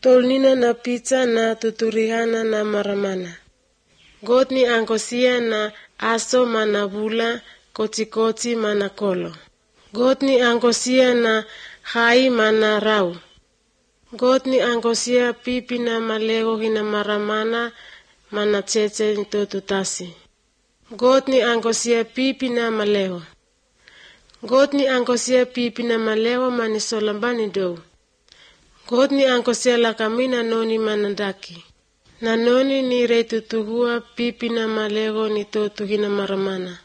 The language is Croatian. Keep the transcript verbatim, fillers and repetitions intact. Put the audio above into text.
Tolnina na pizza na tuturihana na maramana. God ni angosia na aso mana bula koti-koti mana kolo. God ni angosia na hai mana rau. God ni angosia pipi na malego hina maramana mana cheche nito tutasi. God ni angosia pipi na malego. God ni angosia pipi na malego mani solambani do. God ni angosia lakamina noni manandaki. Na noni ni reitutuhua pipi na malego nito tuhina maramana.